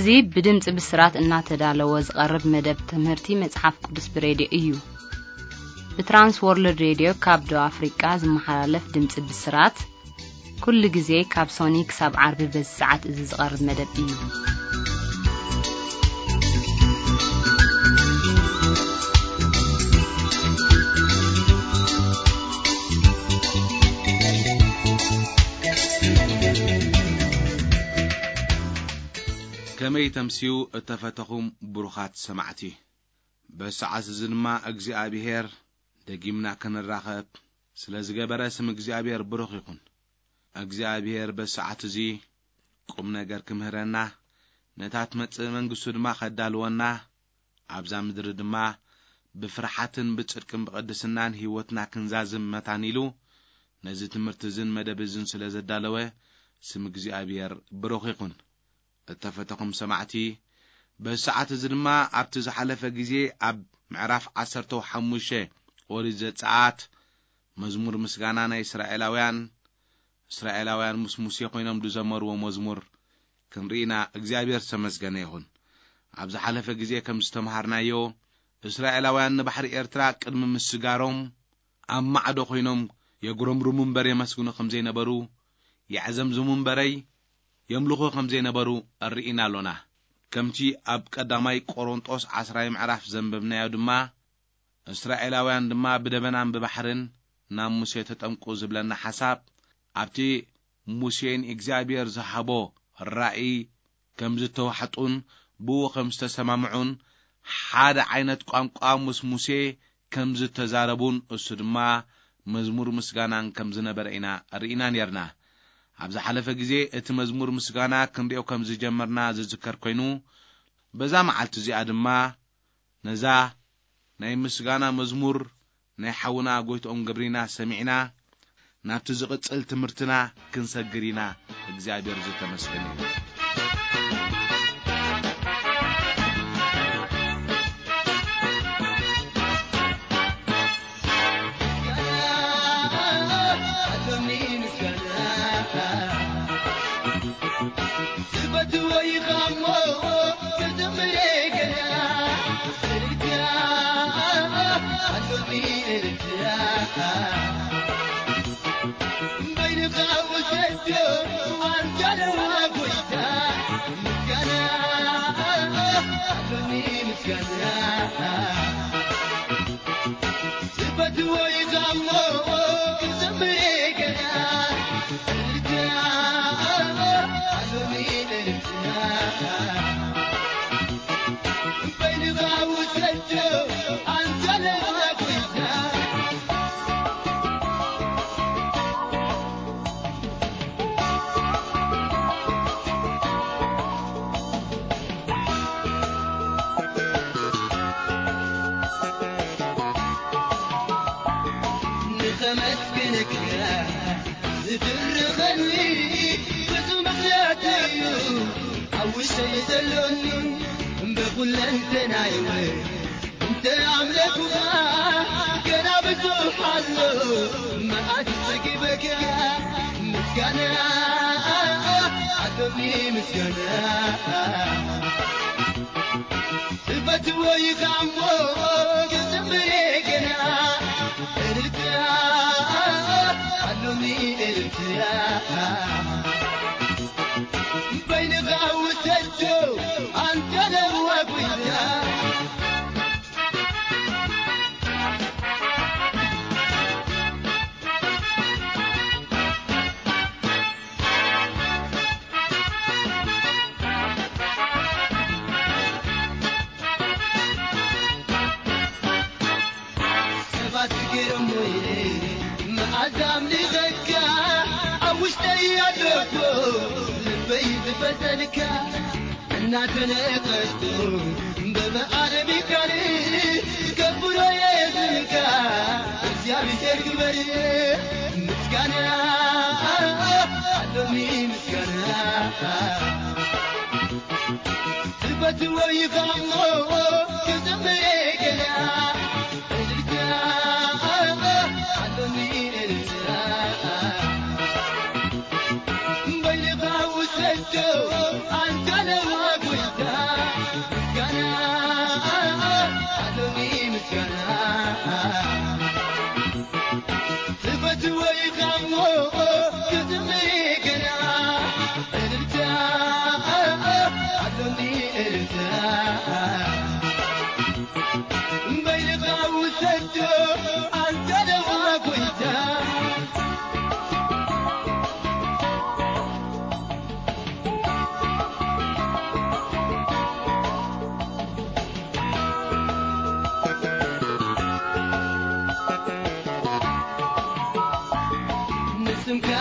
እዚ ብድምፂ ብስራት እናተዳለወ ዝቐርብ መደብ ትምህርቲ መፅሓፍ ቅዱስ ብሬድዮ እዩ። ብትራንስ ወርልድ ሬድዮ ካብ ደቡብ ኣፍሪቃ ዝመሓላለፍ ድምፂ ብስራት ኩሉ ግዜ ካብ ሶኒ ክሳብ ዓርቢ በዚ ሰዓት እዚ ዝቐርብ መደብ እዩ። ከመይ ተምስዩ እተፈተኹም ብሩኻት ሰማዕቲ። በሰዓት እዚ ድማ እግዚኣብሔር ደጊምና ክንራኸብ ስለ ዝገበረ ስም እግዚኣብሔር ብሩኽ ይኹን። እግዚኣብሔር በሰዓት እዚ ቁም ነገር ክምህረና፣ ነታ ትመጽእ መንግስቱ ድማ ከዳልወና፣ ኣብዛ ምድሪ ድማ ብፍርሓትን ብጽድቅን ብቕድስናን ህይወትና ክንዛዝም መታን ኢሉ ነዚ ትምህርቲ እዝን መደብ እዝን ስለ ዘዳለወ ስም እግዚኣብሔር ብሩኽ ይኹን። እተፈተኹም ሰማዕቲ፣ በዚ ሰዓት እዚ ድማ ኣብቲ ዝሓለፈ ግዜ ኣብ ምዕራፍ ዓሰርተ ሓሙሽተ ኦሪት ዘጸኣት መዝሙር ምስጋና ናይ እስራኤላውያን፣ እስራኤላውያን ምስ ሙሴ ኮይኖም ዝዘመርዎ መዝሙር ክንርኢና እግዚኣብሔር ዝተመስገነ ይኹን። ኣብ ዝሓለፈ ግዜ ከም ዝተምሃርናዮ፣ እስራኤላውያን ንባሕሪ ኤርትራ ቅድሚ ምስጋሮም ኣብ ማዕዶ ኮይኖም የጉረምርሙ እምበር የመስግኑ ከም ዘይነበሩ፣ የዕዘምዝሙ እምበረይ የምልኹ ከም ዘይነበሩ ርኢና ኣሎና። ከምቲ ኣብ ቀዳማይ ቆሮንጦስ ዓስራይ ምዕራፍ ዘንበብናዮ ድማ፣ እስራኤላውያን ድማ ብደበናን ብባሕርን ናብ ሙሴ ተጠምቁ ዝብለና ሓሳብ፣ ኣብቲ ሙሴ ንእግዚኣብሔር ዝሃቦ ራእይ ከም ዝተዋሕጡን ብኡ ከም ዝተሰማምዑን፣ ሓደ ዓይነት ቋንቋ ምስ ሙሴ ከም ዝተዛረቡን፣ እሱ ድማ መዝሙር ምስጋናን ከም ዝነበረ ኢና ርኢና ኔርና። ኣብ ዝሓለፈ ግዜ እቲ መዝሙር ምስጋና ክንሪኦ ከም ዝጀመርና ዝዝከር ኮይኑ፣ በዛ መዓልቲ እዚኣ ድማ ነዛ ናይ ምስጋና መዝሙር ናይ ሓውና ጎይትኦም ገብሪና ሰሚዕና፣ ናብቲ ዝቕጽል ትምህርትና ክንሰግር ኢና። እግዚኣብሔር ዝተመስገነ ይሁን።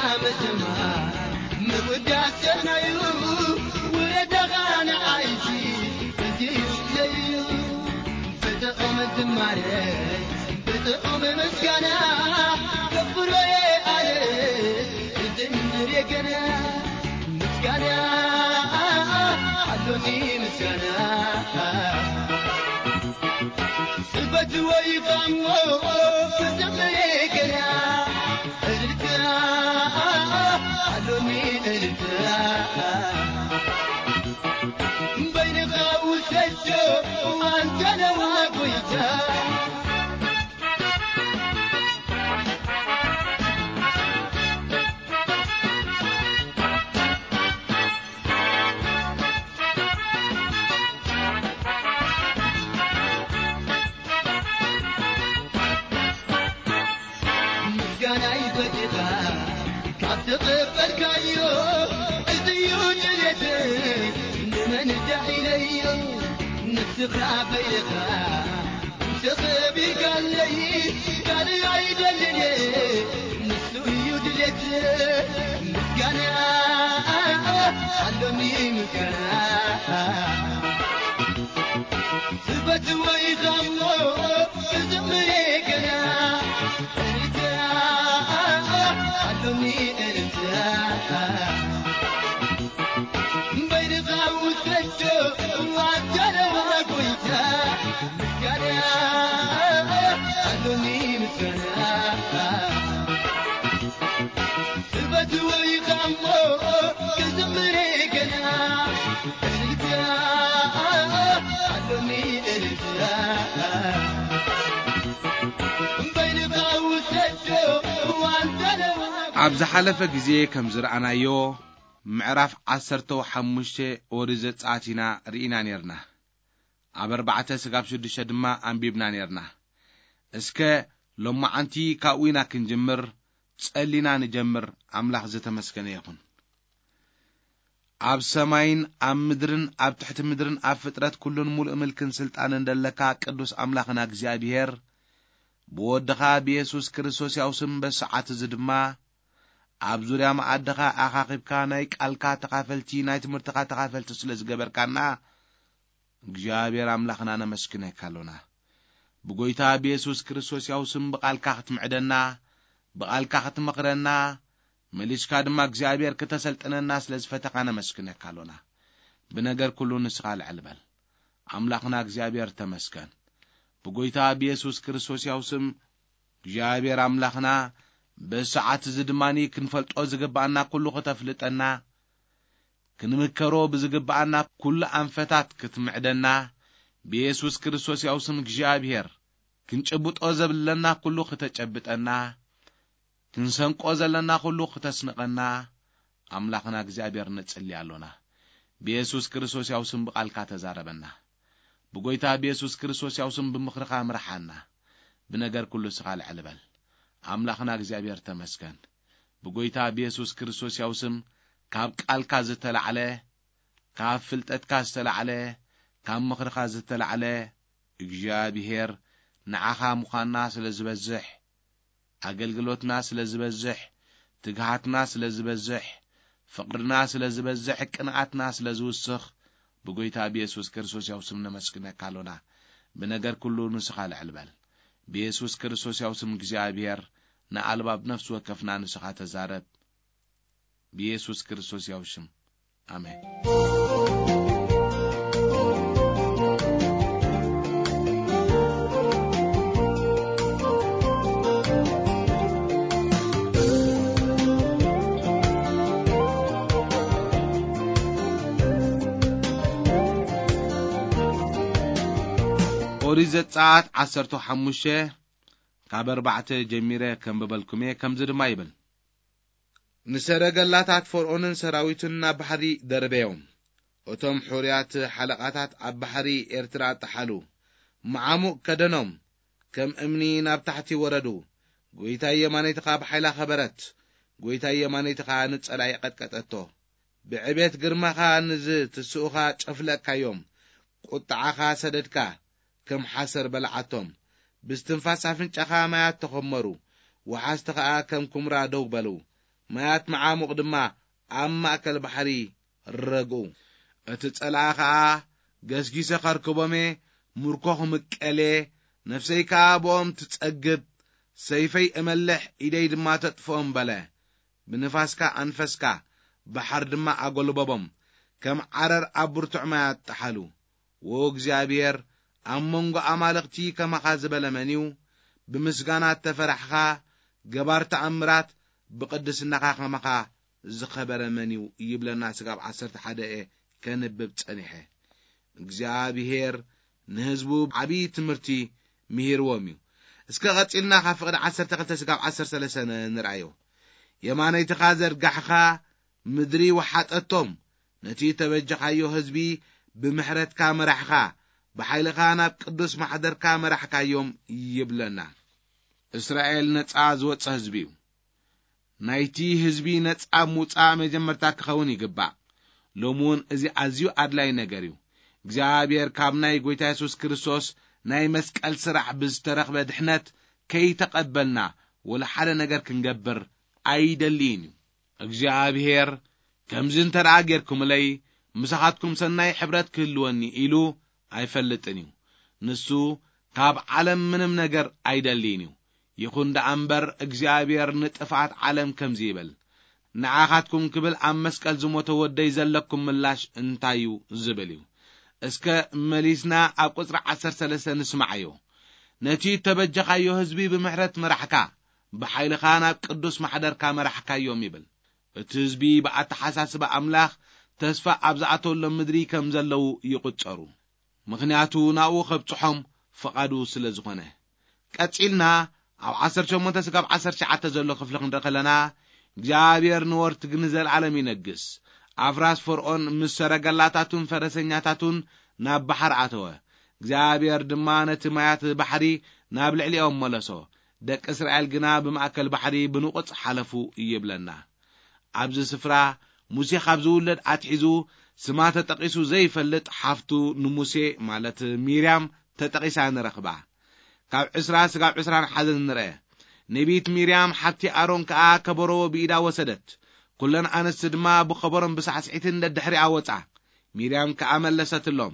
ኣመትማ ምውዳስ ሰናዩ ውረዳኻ ንዓይሲ እዚ እዩ። ብጥዑም ዝማሬ ብጥዑም ምስጋና ከፍሮየ ኣነ እዝምር የገና ምስጋና ኣሎኒ ምስጋና ስበት ወይ ቃሞ ክዘምር የገና እልልታ ኣሎኒ እልልታ በይንኻ ውሰዶ ኣንተ ነዋ ጎይታ ምስጋና ይፈትኻ ካብ ተቐበልካዮ እዚ እዩ ድሌት ንመን ዳዒለዮ ንስኻ በይኻ ተኸቢካለይ ካልእ ኣይደልን ንሱ እዩ ድሌት ምስጋና ኣሎኒ ምስጋና ስበት ወይ ኻሞ ክዝምር ገና እልልታ ኣሎኒ እልልታ በይንኻ ውሰዶ ኣንተ ነዋ ጎይታ ምስጋና ኣሎኒ ምስጋና ስበት ወይ ኻሞ ክዝምር ገና እልልታ ኣሎኒ እልልታ በይንኻ ውሰዶ ኣንተ ነዋ ኣብ ዝሓለፈ ግዜ ከም ዝረኣናዮ ምዕራፍ ዓሰርተ ሓሙሽተ ኦሪት ዘጸኣት ኢና ርኢና ኔርና። ኣብ ኣርባዕተ ስጋብ ሽዱሽተ ድማ ኣንቢብና ኔርና። እስከ ሎማዓንቲ ካብኡ ኢና ክንጅምር ጸሊና ንጀምር። ኣምላኽ ዝተመስገነ ይኹን። ኣብ ሰማይን ኣብ ምድርን ኣብ ትሕቲ ምድርን ኣብ ፍጥረት ኩሉን ሙሉእ ምልክን ስልጣንን ደለካ ቅዱስ ኣምላኽና እግዚኣብሔር ብወድኻ ብየሱስ ክርስቶስ ያው ስም በሰዓት እዚ ድማ ኣብ ዙርያ መኣድኻ ኣኻኺብካ ናይ ቃልካ ተኻፈልቲ ናይ ትምህርትኻ ተኻፈልቲ ስለ ዝገበርካና እግዚኣብሔር ኣምላኽና ነመስግነካ ኣሎና። ብጎይታ ብየሱስ ክርስቶስ ያው ስም ብቓልካ ክትምዕደና ብቓልካ ክትመኽረና መሊስካ ድማ እግዚኣብሔር ክተሰልጥነና ስለ ዝፈተኻ ነመስግነካ ኣሎና። ብነገር ኩሉ ንስኻ ልዕል በል። ኣምላኽና እግዚኣብሔር ተመስገን። ብጎይታ ብየሱስ ክርስቶስ ያው ስም እግዚኣብሔር ኣምላኽና በሰዓት እዚ ድማ ክንፈልጦ ዝግብኣና ኩሉ ክተፍልጠና ክንምከሮ ብዝግብኣና ኩሉ ኣንፈታት ክትምዕደና ብየሱስ ክርስቶስ ያው ስም እግዚኣብሔር ክንጭብጦ ዘብለና ኩሉ ክተጨብጠና ክንሰንቆ ዘለና ኩሉ ክተስንቐና ኣምላኽና እግዚኣብሔር ንጽሊ ኣሎና። ብየሱስ ክርስቶስ ያው ስም ብቓልካ ተዛረበና። ብጎይታ ብየሱስ ክርስቶስ ያው ስም ብምኽርኻ ምርሓና። ብነገር ኩሉ ስኻ ልዕል በል። ኣምላኽና እግዚኣብሔር ተመስገን። ብጎይታ ብየሱስ ክርስቶስ ያው ስም ካብ ቃልካ ዝተላዕለ ካብ ፍልጠትካ ዝተላዕለ ካብ ምኽርኻ ዝተላዕለ እግዚኣብሔር ንዓኻ ምዃንና ስለ ዝበዝሕ ኣገልግሎትና ስለ ዝበዝሕ ትግሃትና ስለ ዝበዝሕ ፍቕርና ስለ ዝበዝሕ ቅንኣትና ስለ ዝውስኽ ብጎይታ ብየሱስ ክርስቶስ ያው ስም ነመስግነካ ኣሎና። ብነገር ኩሉ ንስኻ ልዕል በል። ብየሱስ ክርስቶስ ያው ስም እግዚኣብሔር ንኣልባብ ነፍሲ ወከፍና ንስኻ ተዛረብ። ብየሱስ ክርስቶስ ያው ሽም ኣሜን። ኦሪት ዘጸኣት ዓሰርተ ሓሙሽተ ካብ ኣርባዕተ ጀሚረ ከንብበልኩም እየ። ከምዚ ድማ ይብል፣ ንሰረገላታት ፈርኦንን ሰራዊቱን ናብ ባሕሪ ደርበዮም። እቶም ሕሩያት ሓለቓታት ኣብ ባሕሪ ኤርትራ ጠሓሉ። መዓሙቕ ከደኖም፣ ከም እምኒ ናብ ታሕቲ ወረዱ። ጐይታይ የማነይቲ ኸኣ ብሓይላ ኸበረት። ጐይታይ የማነይቲ ኸኣ ንጸላኢ ቐጥቀጠቶ። ብዕቤት ግርማኻ ንዝትስኡኻ ጨፍለቕካዮም። ቁጥዓኻ ሰደድካ፣ ከም ሓሰር በልዓቶም። ብስትንፋስ ኣፍንጫኻ ማያት ተኾመሩ፣ ወሓዝቲ ኸኣ ከም ኩምራ ደው በሉ። ማያት መዓሙቕ ድማ ኣብ ማእከል ባሕሪ ረግኡ። እቲ ጸላኢ ኸኣ፣ "ገስጊሰ ኸርክቦም እየ፣ ምርኮ ኽምቀል እየ፣ ነፍሰይ ከኣ ብኦም ትጸግብ፣ ሰይፈይ እመልሕ፣ ኢደይ ድማ ተጥፍኦም" በለ። ብንፋስካ ኣንፈስካ፣ ባሕር ድማ ኣጎልበቦም፣ ከም ዓረር ኣብ ብርቱዕ ማያት ጠሓሉ። ዎ እግዚኣብሔር፣ ኣብ መንጎ ኣማልኽቲ ከማኻ ዝበለ መን እዩ? ብምስጋና እተፈራሕኻ፣ ገባር ተኣምራት፣ ብቕድስናኻ ከማኻ ዝኸበረ መን እዩ? ይብለና ስጋብ ዓሰርተ ሓደ እየ ከንብብ ጸኒሐ። እግዚኣብሔር ንህዝቡ ዓብዪ ትምህርቲ ምሂርዎም እዩ። እስከ ቐጺልና ካብ ፍቕዲ ዓሰርተ ክልተ ስጋብ ዓሰርተ ሰለስተ ንርኣዮ። የማነይትኻ ዘርጋሕኻ፣ ምድሪ ወሓጠቶም፣ ነቲ እተበጀኻዮ ህዝቢ ብምሕረትካ መራሕኻ፣ ብሓይልኻ ናብ ቅዱስ ማሕደርካ መራሕካዮም ይብለና። እስራኤል ነጻ ዝወጸ ህዝቢ እዩ። ናይቲ ህዝቢ ነጻ ምውጻእ መጀመርታ ክኸውን ይግባእ። ሎሚ እውን እዚ ኣዝዩ ኣድላይ ነገር እዩ። እግዚኣብሔር ካብ ናይ ጐይታ የሱስ ክርስቶስ ናይ መስቀል ስራሕ ብዝተረኽበ ድሕነት ከይተቐበልና ወላ ሓደ ነገር ክንገብር ኣይደልይን እዩ። እግዚኣብሔር፣ "ከምዚ እንተ ደኣ ጌርኩምለይ፣ ምሳኻትኩም ሰናይ ሕብረት ክህልወኒ" ኢሉ ኣይፈልጥን እዩ። ንሱ ካብ ዓለም ምንም ነገር ኣይደልይን እዩ። ይኹን ደኣ እምበር፣ እግዚኣብሔር ንጥፍኣት ዓለም ከምዚ ይብል፣ "ንዓኻትኩም ክብል ኣብ መስቀል ዝሞተ ወደይ ዘለኩም ምላሽ እንታይ እዩ?" ዝብል እዩ። እስከ መሊስና ኣብ ቁጽሪ ዓሰርተ ሰለስተ ንስማዓዮ። "ነቲ እተበጀኻዮ ህዝቢ ብምሕረት መራሕካ፣ ብሓይልኻ ናብ ቅዱስ ማሕደርካ መራሕካዮም" ይብል። እቲ ህዝቢ ብኣተሓሳስባ ኣምላኽ ተስፋ ኣብ ዝኣተወሎም ምድሪ ከም ዘለዉ ይቑጸሩ። ምኽንያቱ ናብኡ ከብጽሖም ፍቓዱ ስለ ዝኾነ። ቀጺልና ኣብ ዓሰርተ ሸሞንተ ስጋብ ዓሰርተ ትሽዓተ ዘሎ ክፍሊ ክንርኢ ከለና፣ እግዚኣብሔር ንወርትግ ንዘለኣለም ይነግስ። ኣፍራስ ፈርዖን ምስ ሰረገላታቱን ፈረሰኛታቱን ናብ ባሕሪ ኣተወ። እግዚኣብሔር ድማ ነቲ ማያት ባሕሪ ናብ ልዕሊኦም መለሶ። ደቂ እስራኤል ግና ብማእከል ባሕሪ ብንቑጽ ሓለፉ ይብለና። ኣብዚ ስፍራ ሙሴ ካብ ዝውለድ ኣትሒዙ ስማ ተጠቒሱ ዘይፈልጥ ሓፍቱ ንሙሴ፣ ማለት ሚርያም፣ ተጠቒሳ ንረኽባ። ካብ ዕስራ ስጋብ ዕስራን ሓደን ንርአ። ነቢት ሚርያም ሓብቲ ኣሮን ከኣ ከበሮ ብኢዳ ወሰደት። ኩለን ኣንስቲ ድማ ብኸበሮን ብሳዕስዒትን ደድሕሪኣ ወጻ። ሚርያም ከኣ መለሰትሎም፣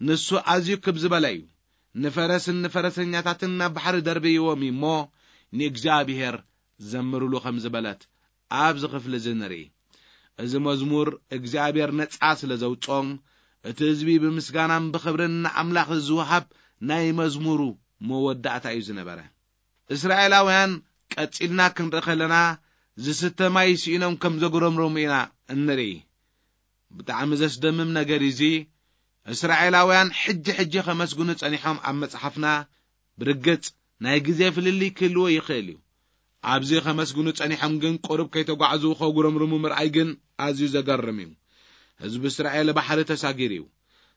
"ንሱ ኣዝዩ ክብ ዝበለ እዩ። ንፈረስን ንፈረሰኛታትን ናብ ባሕሪ ደርብይዎም እዩ እሞ ንእግዚኣብሔር ዘምሩሉ" ከም ዝበለት ኣብዚ ክፍሊ እዚ ንርኢ። እዚ መዝሙር እግዚኣብሔር ነጻ ስለ ዘውጾም፣ እቲ ህዝቢ ብምስጋናን ብኽብርን ንኣምላኽ ዝወሃብ ናይ መዝሙሩ መወዳእታ እዩ ዝነበረ። እስራኤላውያን ቀጺልና ክንርኢ ከለና ዝስተ ማይ ስኢኖም ከም ዘጉረምረሙ ኢና እንርኢ። ብጣዕሚ ዘስደምም ነገር እዚ እስራኤላውያን ሕጂ ሕጂ ከመስግኑ ጸኒሖም ኣብ መጽሓፍና ብርግጽ ናይ ግዜ ፍልልይ ክህልዎ ይኽእል እዩ። ኣብዚ ከመስግኑ ጸኒሖም ግን ቁሩብ ከይተጓዕዙ ከጉረምርሙ ምርኣይ ግን ኣዝዩ ዘገርም እዩ። ህዝቢ እስራኤል ባሕሪ ተሳጊሩ እዩ።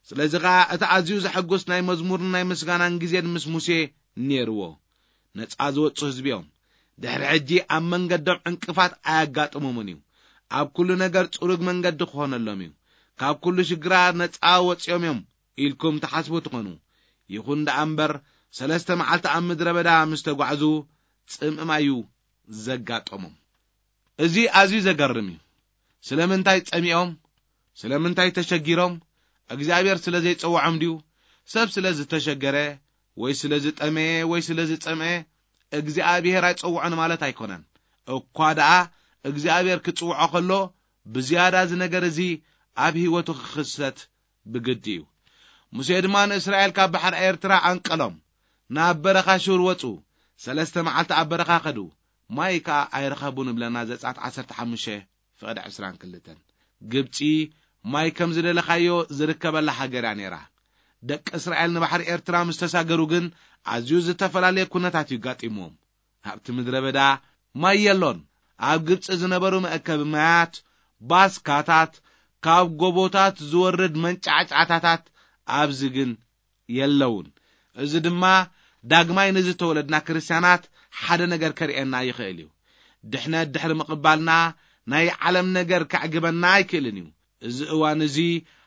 ስለዚ ኸኣ እቲ ኣዝዩ ዘሐጉስ ናይ መዝሙርን ናይ ምስጋናን ግዜን ምስ ሙሴ ነይርዎ። ነጻ ዝወጹ ህዝቢ እዮም። ድሕሪ ሕጂ ኣብ መንገዶም ዕንቅፋት ኣያጋጥሞምን እዩ። ኣብ ኩሉ ነገር ጽሩግ መንገዲ ክኾነሎም እዩ። ካብ ኩሉ ሽግራት ነጻ ወጺኦም እዮም ኢልኩም ትሓስቡ ትኾኑ። ይኹን ደኣ እምበር፣ ሰለስተ መዓልቲ ኣብ ምድረ በዳ ምስ ተጓዕዙ ጽምእ ማይ እዩ ዘጋጠሞም። እዚ ኣዝዩ ዘገርም እዩ። ስለምንታይ ጸሚኦም? ስለምንታይ ተሸጊሮም? እግዚኣብሔር ስለ ዘይጸውዖም ድዩ? ሰብ ስለ ዝተሸገረ ወይ ስለ ዝጠመየ ወይ ስለ ዝጸምአ እግዚኣብሔር ኣይጸውዖን ማለት ኣይኮነን። እኳ ደኣ እግዚኣብሔር ክጽውዖ ከሎ፣ ብዝያዳ እዚ ነገር እዚ ኣብ ህይወቱ ክኽሰት ብግዲ እዩ። ሙሴ ድማ ንእስራኤል ካብ ባሕሪ ኤርትራ ኣንቀሎም፣ ናብ በረኻ ሹር ወጹ። ሰለስተ መዓልቲ ኣብ በረኻ ከዱ፣ ማይ ከኣ ኣይረኸቡን እብለና ዘጸኣት ዓሰርተ ሓሙሽተ ፍቕዲ ዕስራን ክልተን። ግብጺ ማይ ከም ዝደለኻዮ ዝርከበላ ሃገር እያ ነይራ። ደቂ እስራኤል ንባሕሪ ኤርትራ ምስ ተሳገሩ ግን ኣዝዩ ዝተፈላለየ ኩነታት እዩ ጋጢምዎም። ኣብቲ ምድረ በዳ ማይ የሎን። ኣብ ግብጺ ዝነበሩ መእከቢ ማያት፣ ባስካታት፣ ካብ ጎቦታት ዝወርድ መንጫዕጫዕታታት ኣብዚ ግን የለውን። እዚ ድማ ዳግማይ ንዝተወለድና ክርስትያናት ሓደ ነገር ከርእየና ይኽእል እዩ። ድሕነት ድሕሪ ምቕባልና ናይ ዓለም ነገር ከዕግበና ኣይክእልን እዩ። እዚ እዋን እዚ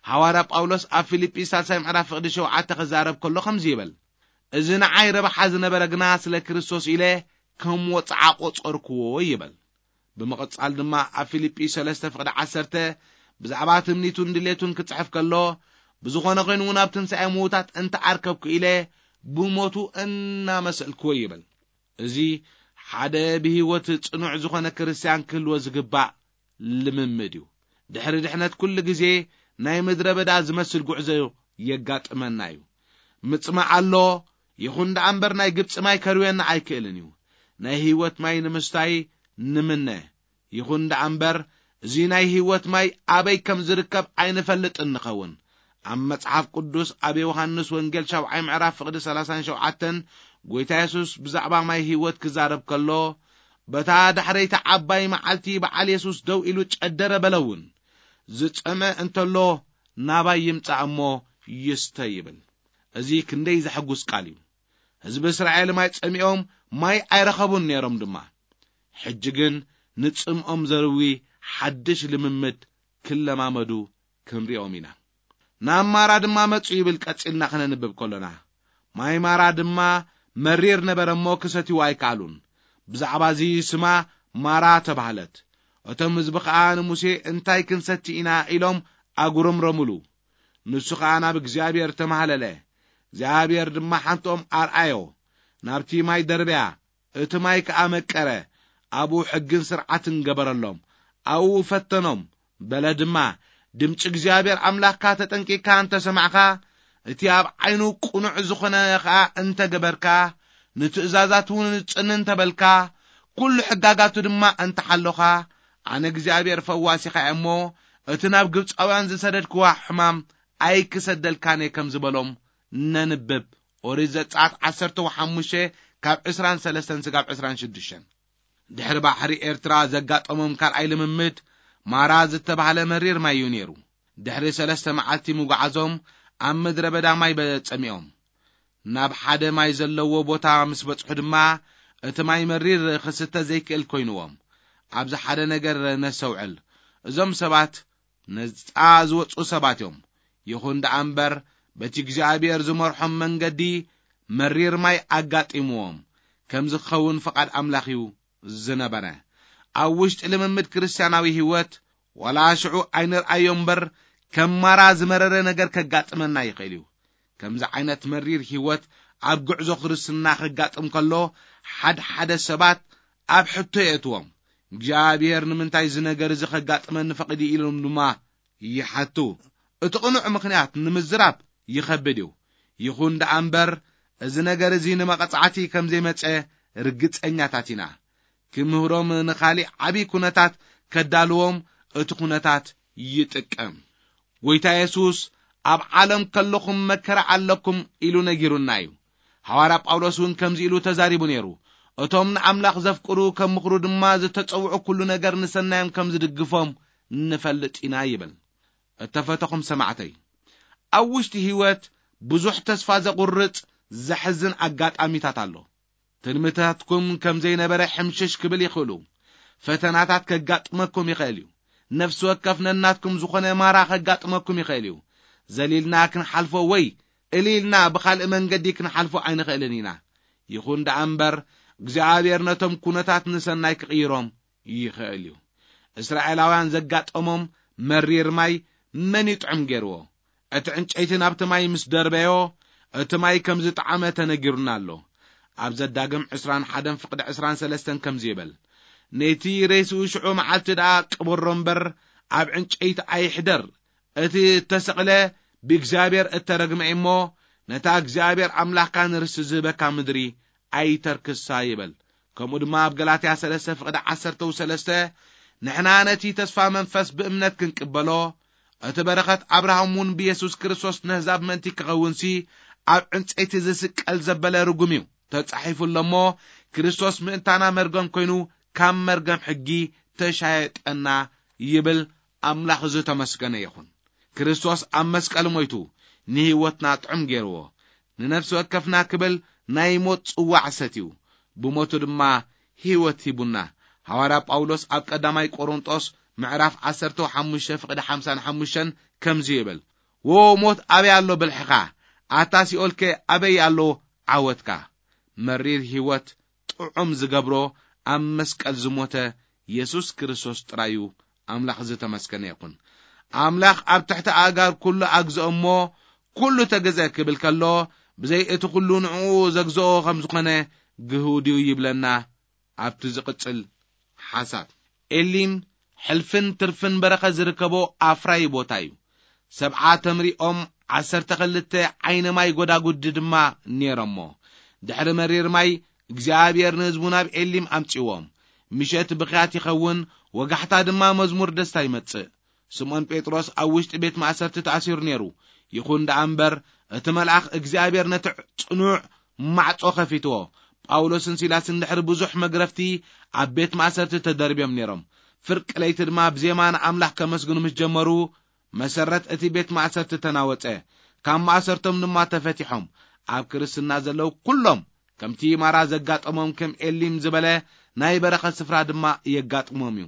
ሃዋርያ ጳውሎስ ኣብ ፊልጲ ሳልሳይ ምዕራፍ ፍቕዲ ሸውዓተ ክዛረብ ከሎ ከምዚ ይብል፣ "እዚ ንዓይ ረብሓ ዝነበረ ግና ስለ ክርስቶስ ኢለ ከም ወጽዓ ቆጸርክዎ" ይብል። ብምቕጻል ድማ ኣብ ፊልጲ ሰለስተ ፍቕዲ ዓሰርተ ብዛዕባ ትምኒቱን ድሌቱን ክጽሕፍ ከሎ፣ ብዝኾነ ኮይኑ እውን ኣብ ትንሳኤ ምዉታት እንተኣርከብኩ ኢለ ብሞቱ እናመሰልክዎ ይብል። እዚ ሓደ ብህይወት ጽኑዕ ዝኾነ ክርስትያን ክህልዎ ዝግባእ ልምምድ እዩ። ድሕሪ ድሕነት ኩሉ ግዜ ናይ ምድረ በዳ ዝመስል ጉዕዞ የጋጥመና እዩ። ምጽማዕ ኣሎ፣ ይኹን ደኣ እምበር ናይ ግብጺ ማይ ከርውየና ኣይክእልን እዩ። ናይ ህይወት ማይ ንምስታይ ንምነ፣ ይኹን ደኣ እምበር እዚ ናይ ህይወት ማይ ኣበይ ከም ዝርከብ ኣይንፈልጥን ንኸውን። ኣብ መጽሓፍ ቅዱስ ኣብ ዮሃንስ ወንጌል ሻብዓይ ምዕራፍ ፍቕዲ ሰላሳን ሸውዓተን ጎይታ የሱስ ብዛዕባ ማይ ህይወት ክዛረብ ከሎ፣ በታ ዳሕረይቲ ዓባይ መዓልቲ በዓል የሱስ ደው ኢሉ ጨደረ በለ እውን። ዝጸመ እንተሎ ናባይ ይምጻእ እሞ ይስተ ይብል። እዚ ክንደይ ዘሐጉስ ቃል እዩ። ህዝቢ እስራኤል ማይ ጸሚኦም ማይ ኣይረኸቡን ነይሮም ድማ። ሕጂ ግን ንጽምኦም ዘርዊ ሓድሽ ልምምድ ክለማመዱ ክንሪኦም ኢና። ናብ ማራ ድማ መጹ ይብል ቀጺልና ክነንብብ ከሎና። ማይ ማራ ድማ መሪር ነበረ እሞ ክሰትይዋ ኣይከኣሉን። ብዛዕባ እዚ ስማ ማራ ተባህለት። እቶም ህዝቢ ኸኣ ንሙሴ እንታይ ክንሰቲ ኢና ኢሎም ኣጉረምረሙሉ። ንሱ ኸኣ ናብ እግዚኣብሔር ተማህለለ። እግዚኣብሔር ድማ ሓንትኦም ኣርኣዮ። ናብቲ ማይ ደርበያ፣ እቲ ማይ ከኣ መቀረ። ኣብኡ ሕግን ስርዓትን ገበረሎም። ኣብኡ ፈተኖም። በለ ድማ፣ ድምፂ እግዚኣብሔር ኣምላኽካ ተጠንቂቕካ እንተ ሰማዕኻ፣ እቲ ኣብ ዓይኑ ቅኑዕ ዝኾነ ኸኣ እንተ ገበርካ፣ ንትእዛዛት እውን ጽን እንተ በልካ፣ ኩሉ ሕጋጋቱ ድማ እንተ ሓሎኻ፣ ኣነ እግዚኣብሔር ፈዋሲኻ እየ እሞ፣ እቲ ናብ ግብፃውያን ዝሰደድክዋ ሕማም ኣይክሰደልካን እየ ከም ዝበሎም ነንብብ። ኦሪት ዘጸኣት ዓሰርተ ሓሙሽተ ካብ ዕስራን ሰለስተን ስጋብ ዕስራን ሽዱሽተን። ድሕሪ ባሕሪ ኤርትራ ዘጋጠሞም ካልኣይ ልምምድ ማራ ዝተባህለ መሪር ማይ እዩ ነይሩ። ድሕሪ ሰለስተ መዓልቲ ምጉዓዞም ኣብ ምድረ በዳ ማይ በ-፣ ጸሚኦም። ናብ ሓደ ማይ ዘለዎ ቦታ ምስ በጽሑ ድማ እቲ ማይ መሪር ክስተ ዘይክእል ኮይንዎም። ኣብዚ ሓደ ነገር ነስተውዕል። እዞም ሰባት ነጻ ዝወጹ ሰባት እዮም። ይኹን ደኣ እምበር በቲ እግዚኣብሔር ዝመርሖም መንገዲ መሪር ማይ ኣጋጢምዎም ከም ዝኸውን ፍቓድ ኣምላኽ እዩ ዝነበረ። ኣብ ውሽጢ ልምምድ ክርስትያናዊ ህይወት ዋላ ሽዑ ኣይንርኣዮ እምበር ከም ማራ ዝመረረ ነገር ከጋጥመና ይኽእል እዩ። ከምዚ ዓይነት መሪር ህይወት ኣብ ጉዕዞ ክርስትና ከጋጥም ከሎ ሓደ ሓደ ሰባት ኣብ ሕቶ የእትዎም። እግዚኣብሔር ንምንታይ እዚ ነገር እዚ ከጋጥመኒ ፈቒዱ ኢሎም ድማ ይሓቱ። እቲ ቅኑዕ ምኽንያት ንምዝራብ ይኸብድ እዩ። ይኹን ደኣ እምበር እዚ ነገር እዚ ንመቐጻዕቲ ከም ዘይመጸ ርግጸኛታት ኢና። ክምህሮም ንኻሊእ ዓብዪ ኩነታት ከዳልዎም እቲ ኩነታት ይጥቀም። ጎይታ የሱስ ኣብ ዓለም ከለኹም መከራ ኣለኩም ኢሉ ነጊሩና እዩ። ሃዋርያ ጳውሎስ እውን ከምዚ ኢሉ ተዛሪቡ ነይሩ። እቶም ንኣምላኽ ዘፍቅሩ ከም ምኽሩ ድማ ዝተጸውዑ ኩሉ ነገር ንሰናዮም ከም ዝድግፎም ንፈልጥ ኢና ይብል። እተፈተኹም ሰማዕተይ፣ ኣብ ውሽጢ ህይወት ብዙሕ ተስፋ ዘቑርጽ ዘሕዝን ኣጋጣሚታት ኣሎ። ትልምታትኩም ከም ዘይነበረ ሕምሽሽ ክብል ይኽእሉ። ፈተናታት ከጋጥመኩም ይኽእል እዩ። ነፍሲ ወከፍ ነናትኩም ዝኾነ ማራ ከጋጥመኩም ይኽእል እዩ። ዘሊልና ክንሓልፎ ወይ እሊልና ብኻልእ መንገዲ ክንሓልፎ ኣይንኽእልን ኢና። ይኹን ደኣ እምበር እግዚኣብሔር ነቶም ኩነታት ንሰናይ ክቕይሮም ይኽእል እዩ። እስራኤላውያን ዘጋጠሞም መሪር ማይ መን ይጥዕም ገይርዎ? እቲ ዕንጨይቲ ናብቲ ማይ ምስ ደርበዮ፣ እቲ ማይ ከም ዝጠዓመ ተነጊሩና ኣሎ። ኣብ ዘዳግም ዕስራን ሓደን ፍቕዲ ዕስራን ሰለስተን ከምዚ ይብል፣ ነቲ ሬስኡ ሽዑ መዓልቲ ደኣ ቅበሮ እምበር፣ ኣብ ዕንጨይቲ ኣይሕደር። እቲ እተሰቕለ ብእግዚኣብሔር እተረግመ እሞ፣ ነታ እግዚኣብሔር ኣምላኽካ ንርስቲ ዝህበካ ምድሪ ኣይተርክሳ ይብል። ከምኡ ድማ ኣብ ገላትያ ሰለስተ ፍቕዲ ዓሰርተ ሰለስተ፣ ንሕና ነቲ ተስፋ መንፈስ ብእምነት ክንቅበሎ፣ እቲ በረኸት ኣብርሃም እውን ብየሱስ ክርስቶስ ነህዛብ ምእንቲ ክኸውንሲ፣ ኣብ ዕንጸይቲ ዝስቀል ዘበለ ርጉም እዩ። ተጻሒፉ ኣሎ እሞ፣ ክርስቶስ ምእንታና መርገም ኮይኑ፣ ካብ መርገም ሕጊ ተሻየጠና ይብል። ኣምላኽ ዝተመስገነ ይኹን። ክርስቶስ ኣብ መስቀል ሞይቱ ንህይወትና ጥዑም ገይርዎ። ንነፍሲ ወከፍና ክብል ናይ ሞት ጽዋዕ ሰትዩ፣ ብሞቱ ድማ ህይወት ሂቡና። ሃዋርያ ጳውሎስ ኣብ ቀዳማይ ቆሮንጦስ ምዕራፍ ዓሰርተ ሓሙሽተ ፍቕዲ ሓምሳን ሓሙሽተን ከምዚ ይብል፣ "ዎ ሞት ኣበይ ኣሎ ብልሕኻ? ኣታ ሲኦልከ ኣበይ ኣሎ ዓወትካ?" መሪር ህይወት ጥዑም ዝገብሮ ኣብ መስቀል ዝሞተ ኢየሱስ ክርስቶስ ጥራዩ ኣምላኽ ዝተመስገነ ይኹን። ኣምላኽ ኣብ ትሕቲ ኣእጋር ኩሉ ኣግዝኦ እሞ ኩሉ ተገዝአ ክብል ከሎ፣ ብዘይ እቲ ኩሉ ንዕኡ ዘግዝኦ ከም ዝኾነ ግህው ድዩ ይብለና። ኣብቲ ዝቕጽል ሓሳብ፣ ኤሊም ሕልፍን ትርፍን በረኸት ዝርከቦ ኣፍራይ ቦታ እዩ። ሰብዓ ተምሪኦም፣ ዓሰርተ ክልተ ዓይነ ማይ ጎዳጉዲ ድማ ነይሮሞ። ድሕሪ መሪር ማይ እግዚኣብሔር ንህዝቡ ናብ ኤሊም ኣምጺዎም። ምሸት ብኽያት ይኸውን፣ ወጋሕታ ድማ መዝሙር ደስታ ይመጽእ። ስምዖን ጴጥሮስ ኣብ ውሽጢ ቤት ማእሰርቲ ተኣሲሩ ነይሩ። ይኹን ደኣ እምበር፣ እቲ መልኣኽ እግዚኣብሔር ነቲ ጽኑዕ ማዕጾ ከፊትዎ። ጳውሎስን ሲላስን ድሕሪ ብዙሕ መግረፍቲ ኣብ ቤት ማእሰርቲ ተደርብዮም ነይሮም። ፍርቂ ለይቲ ድማ ብዜማ ንኣምላኽ ከመስግኑ ምስ ጀመሩ፣ መሰረት እቲ ቤት ማእሰርቲ ተናወጸ። ካብ ማእሰርቶም ድማ ተፈቲሖም። ኣብ ክርስትና ዘለዉ ኩሎም ከምቲ ማራ ዘጋጠሞም፣ ከም ኤሊም ዝበለ ናይ በረኸት ስፍራ ድማ የጋጥሞም እዩ።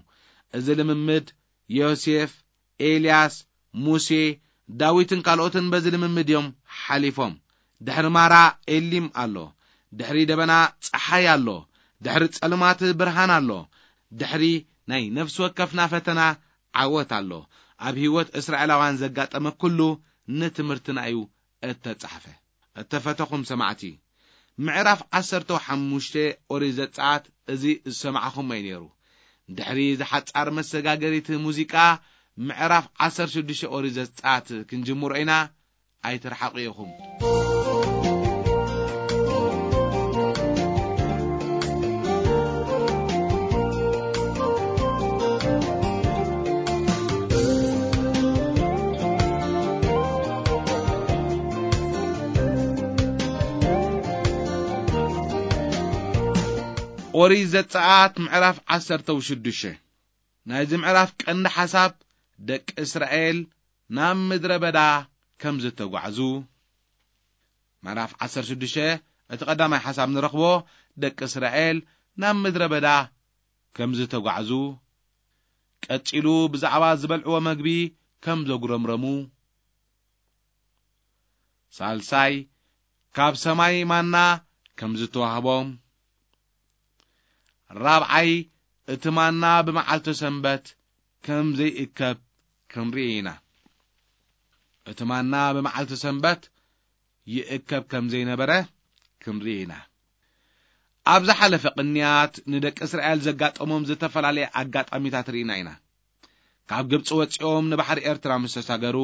እዚ ልምምድ ዮሴፍ፣ ኤልያስ፣ ሙሴ፣ ዳዊትን ካልኦትን በዚ ልምምድ እዮም ሓሊፎም። ድሕሪ ማራ ኤሊም ኣሎ። ድሕሪ ደበና ጸሓይ ኣሎ። ድሕሪ ጸልማት ብርሃን ኣሎ። ድሕሪ ናይ ነፍሲ ወከፍና ፈተና ዓወት ኣሎ። ኣብ ህይወት እስራኤላውያን ዘጋጠመ ኩሉ ንትምህርትና እዩ እተጻሕፈ። እተፈተኹም ሰማዕቲ፣ ምዕራፍ ዓሰርተ ሓሙሽተ ኦሪት ዘጸኣት እዚ ዝሰማዕኹሞ እዩ ነይሩ። ድሕሪ ዝሓጻር መሰጋገሪት ሙዚቃ፣ ምዕራፍ ዓሰርተ ሽዱሽተ ኦሪት ዘጸኣት ክንጅምሮ ኢና። ኣይትርሓቑ ኢኹም። ኦሪት ዘጸኣት ምዕራፍ ዓሰርተ ሽዱሽተ። ናይዚ ምዕራፍ ቀንዲ ሓሳብ ደቂ እስራኤል ናብ ምድረ በዳ ከም ዝተጓዕዙ። ምዕራፍ ዓሰርተ ሽዱሽተ፣ እቲ ቀዳማይ ሓሳብ ንረኽቦ ደቂ እስራኤል ናብ ምድረ በዳ ከም ዝተጓዕዙ፣ ቀጺሉ ብዛዕባ ዝበልዕዎ መግቢ ከም ዘጉረምረሙ፣ ሳልሳይ፣ ካብ ሰማይ ማና ከም ዝተዋህቦም፣ ራብዓይ፣ እቲ ማና ብመዓልቲ ሰንበት ከም ዘይእከብ ክንርኢ ኢና። እቲ ማና ብመዓልቲ ሰንበት ይእከብ ከም ዘይነበረ ክንርኢ ኢና። ኣብ ዝሓለፈ ቅንያት ንደቂ እስራኤል ዘጋጠሞም ዝተፈላለየ ኣጋጣሚታት ርኢና ኢና። ካብ ግብጺ ወጺኦም ንባሕሪ ኤርትራ ምስ ተሳገሩ፣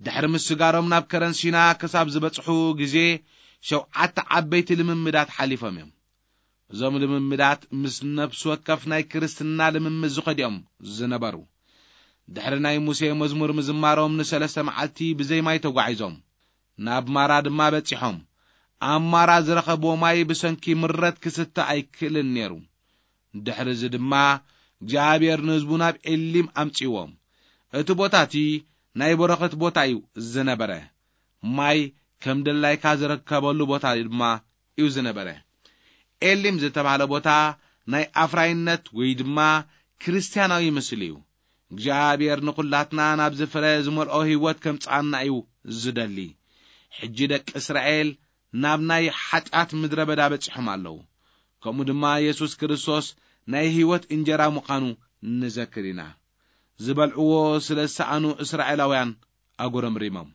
ድሕሪ ምስጋሮም ናብ ከረን ሲና ክሳብ ዝበጽሑ ግዜ፣ ሸውዓተ ዓበይቲ ልምምዳት ሓሊፎም እዮም። እዞም ልምምዳት ምስ ነፍሲ ወከፍ ናይ ክርስትና ልምምድ ዝኸዱ እዮም ዝነበሩ። ድሕሪ ናይ ሙሴ መዝሙር ምዝማሮም ንሰለስተ መዓልቲ ብዘይ ማይ ተጓዒዞም፣ ናብ ማራ ድማ በጺሖም። ኣብ ማራ ዝረኸብዎ ማይ ብሰንኪ ምረት ክስተ ኣይክእልን ነይሩ። ድሕሪ እዚ ድማ እግዚኣብሔር ንህዝቡ ናብ ኤሊም ኣምጺዎም። እቲ ቦታ እቲ ናይ በረኸት ቦታ እዩ ዝነበረ። ማይ ከም ድላይካ ዝርከበሉ ቦታ ድማ እዩ ዝነበረ። ኤሊም ዝተባህለ ቦታ ናይ ኣፍራይነት ወይ ድማ ክርስትያናዊ ምስሊ እዩ። እግዚኣብሔር ንኹላትና ናብዚ ፍረ ዝመልኦ ህይወት ከምጽኣና እዩ ዝደሊ። ሕጂ ደቂ እስራኤል ናብ ናይ ሓጢኣት ምድረ በዳ በጺሖም ኣለዉ። ከምኡ ድማ የሱስ ክርስቶስ ናይ ህይወት እንጀራ ምዃኑ ንዘክር ኢና። ዝበልዕዎ ስለ ዝሰኣኑ እስራኤላውያን ኣጉረምሪሞም።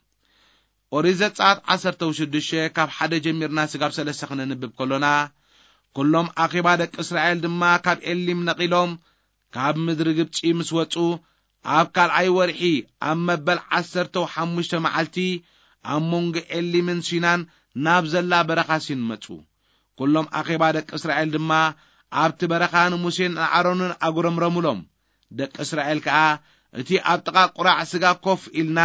ኦሪት ዘጸኣት ዓሰርተ ሽዱሽተ ካብ ሓደ ጀሚርና ስጋብ ሰለስተ ክነንብብ ከሎና፣ ኩሎም ኣኼባ ደቂ እስራኤል ድማ ካብ ኤሊም ነቒሎም ካብ ምድሪ ግብጺ ምስ ወጹ፣ ኣብ ካልኣይ ወርሒ ኣብ መበል ዓሰርተ ሓሙሽተ መዓልቲ ኣብ መንጎ ኤሊምን ሲናን ናብ ዘላ በረኻ ሲን መጹ። ኩሎም ኣኼባ ደቂ እስራኤል ድማ ኣብቲ በረኻ ንሙሴን ንኣሮንን ኣጉረምረሙሎም። ደቂ እስራኤል ከኣ፣ እቲ ኣብ ጥቓ ቁራዕ ስጋ ኮፍ ኢልና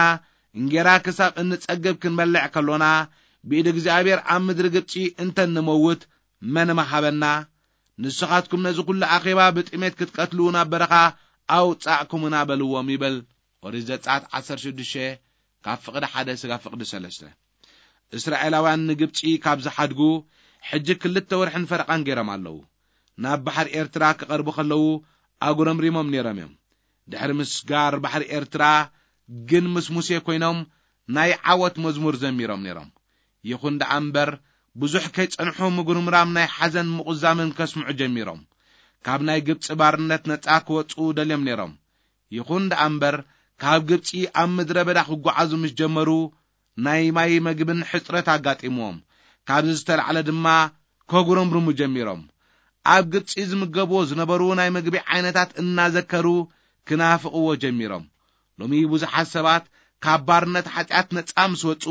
እንጌራ ክሳብ እንጸግብ ክንበልዕ ከሎና፣ ብኢድ እግዚኣብሔር ኣብ ምድሪ ግብጺ እንተ ንመውት መን ምሃበና? ንስኻትኩም ነዚ ኩሉ ኣኼባ ብጥሜት ክትቀትሉ ናብ በረኻ ኣውጻእኩምና በልዎም ይብል። ኦሪት ዘጸኣት ዓሰርተ ሽዱሽተ ካብ ፍቕዲ ሓደ ስጋብ ፍቕዲ ሰለስተ። እስራኤላውያን ንግብጺ ካብ ዝሓድጉ ሕጂ ክልተ ወርሕን ፈረቓን ገይሮም ኣለዉ። ናብ ባሕሪ ኤርትራ ክቐርቡ ከለዉ ኣጉረምሪሞም ነይሮም እዮም። ድሕሪ ምስጋር ባሕሪ ኤርትራ ግን ምስ ሙሴ ኮይኖም ናይ ዓወት መዝሙር ዘሚሮም ነይሮም። ይኹን ደኣ እምበር ብዙሕ ከይጸንሑ ምጉርምራም ናይ ሓዘን ምቑዛምን ከስምዑ ጀሚሮም። ካብ ናይ ግብጺ ባርነት ነጻ ክወጽኡ ደልዮም ነይሮም። ይኹን ደኣ እምበር፣ ካብ ግብጺ ኣብ ምድረ በዳ ክጓዓዙ ምስ ጀመሩ፣ ናይ ማይ መግብን ሕጽረት ኣጋጢምዎም። ካብዚ ዝተላዕለ ድማ ከጉረምርሙ ጀሚሮም። ኣብ ግብጺ ዝምገብዎ ዝነበሩ ናይ መግቢ ዓይነታት እናዘከሩ ክናፍቕዎ ጀሚሮም። ሎሚ ብዙሓት ሰባት ካብ ባርነት ሓጢኣት ነጻ ምስ ወጹ፣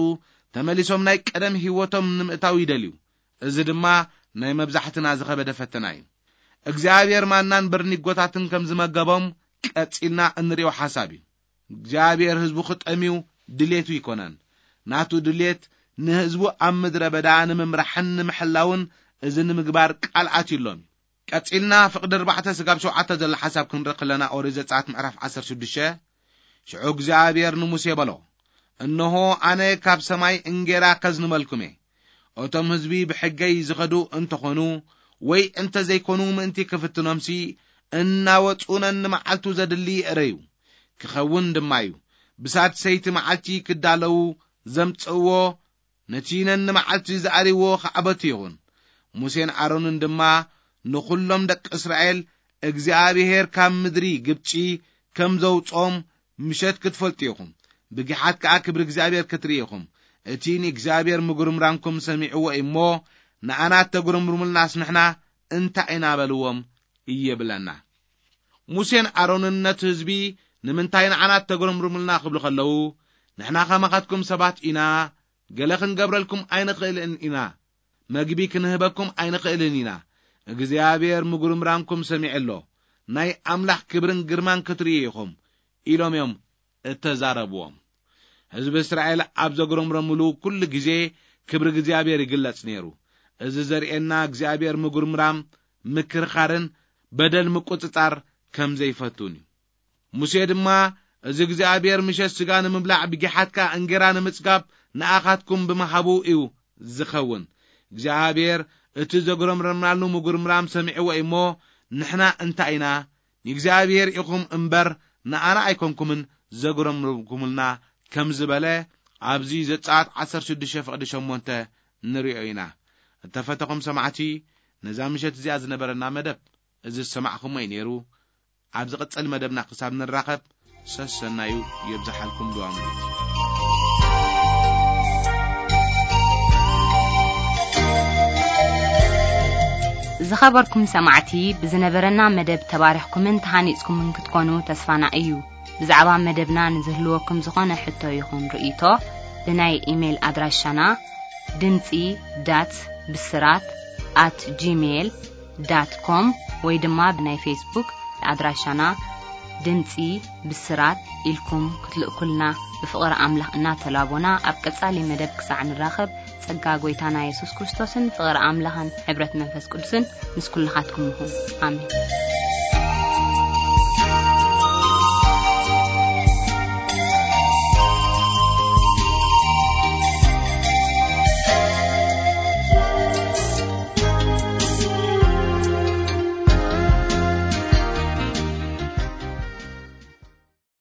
ተመሊሶም ናይ ቀደም ህይወቶም ንምእታው ይደልዩ። እዚ ድማ ናይ መብዛሕትና ዝኸበደ ፈተና እዩ። እግዚኣብሔር ማናን በርኒጎታትን ከም ዝመገቦም ቀጺልና እንሪኦ ሓሳብ እዩ። እግዚኣብሔር ህዝቡ ክጠምዩ ድሌቱ ይኮነን። ናቱ ድሌት ንህዝቡ ኣብ ምድረ በዳ ንምምራሕን ንምሕላውን እዚ ንምግባር ቃል ኣትዩሎም እዩ። ቀጺልና ፍቕዲ ኣርባዕተ ስጋብ ሸውዓተ ዘሎ ሓሳብ ክንርኢ ከለና፣ ኦሪት ዘጸኣት ምዕራፍ ዓሰርተ ሽዱሽተ፣ ሽዑ እግዚኣብሔር ንሙሴ በሎ፣ "እንሆ ኣነ ካብ ሰማይ እንጌራ ከዝንበልኩም እየ። እቶም ህዝቢ ብሕገይ ዝኸዱ እንተኾኑ ወይ እንተዘይኮኑ ምእንቲ ክፍትኖምሲ፣ እናወጹ ነንመዓልቱ ዘድሊ ይእረዩ። ክኸውን ድማ እዩ። ብሳድሰይቲ መዓልቲ ክዳለዉ ዘምጽእዎ ነቲ ነንመዓልቲ ዝኣርይዎ ክዓበቱ ይኹን። ሙሴን ኣሮንን ድማ ንኹሎም ደቂ እስራኤል እግዚኣብሔር ካብ ምድሪ ግብጺ ከም ዘውጽኦም ምሸት ክትፈልጡ ኢኹም። ብጊሓት ከኣ ክብሪ እግዚኣብሔር ክትርኢ ኢኹም። እቲ ንእግዚኣብሔር ምጉርምራምኩም ሰሚዕዎ እሞ፣ ንኣና እተጉረምርሙልናስ ንሕና እንታይ ኢና?" በልዎም ይብለና። ሙሴን ኣሮንን ነቲ ህዝቢ፣ "ንምንታይ ንዓና እተጉረምርሙልና?" ክብሉ ከለዉ፣ "ንሕና ከማኻትኩም ሰባት ኢና፣ ገለ ክንገብረልኩም ኣይንኽእልን ኢና፣ መግቢ ክንህበኩም ኣይንኽእልን ኢና። እግዚኣብሔር ምጉርምራምኩም ሰሚዑ ኣሎ፣ ናይ ኣምላኽ ክብርን ግርማን ክትርእዩ ኢኹም" ኢሎም እዮም እተዛረብዎም። ህዝቢ እስራኤል ኣብ ዘጉረምረምሉ ኩሉ ግዜ ክብሪ እግዚኣብሔር ይግለጽ ነይሩ። እዚ ዘርእየና እግዚኣብሔር ምጉርምራም፣ ምክርኻርን በደል ምቁጽጻር ከም ዘይፈቱን እዩ። ሙሴ ድማ፣ "እዚ እግዚኣብሔር ምሸት ስጋ ንምብላዕ ብጊሓት ከኣ እንጌራ ንምጽጋብ ንኣኻትኩም ብምሃቡ እዩ ዝኸውን። እግዚኣብሔር እቲ ዘጉረምረምናሉ ምጉርምራም ሰሚዕዎ እሞ፣ ንሕና እንታይ ኢና? ንእግዚኣብሔር ኢኹም እምበር ንኣና ኣይኮንኩምን ዘጉረምረምኩምልና" ከም ዝበለ ኣብዚ ዘጸኣት ዓሰርተ ሽዱሽተ ፍቕዲ ሸሞንተ ንርእዮ ኢና። እተፈተኹም ሰማዕቲ፣ ነዛ ምሸት እዚኣ ዝነበረና መደብ እዚ ዝሰማዕኹሞ እዩ ነይሩ። ኣብ ዝቕጽል መደብና ክሳብ ንራኸብ፣ ሰሰናዩ የብዝሓልኩም ድዋሙሪት። ዝኸበርኩም ሰማዕቲ፣ ብዝነበረና መደብ ተባሪኽኩምን ተሃኒጽኩምን ክትኮኑ ተስፋና እዩ። ብዛዕባ መደብና ንዝህልወኩም ዝኾነ ሕቶ ይኹን ርእይቶ፣ ብናይ ኢሜይል ኣድራሻና ድምጺ ዳት ብስራት ኣት ጂሜይል ዳት ኮም ወይ ድማ ብናይ ፌስቡክ ኣድራሻና ድምጺ ብስራት ኢልኩም ክትልእኩልና ብፍቕሪ ኣምላኽ እናተላቦና፣ ኣብ ቀጻሊ መደብ ክሳዕ ንራኸብ፣ ጸጋ ጐይታና የሱስ ክርስቶስን ፍቕሪ ኣምላኽን ሕብረት መንፈስ ቅዱስን ምስ ኩልኻትኩም ይኹን። ኣሜን።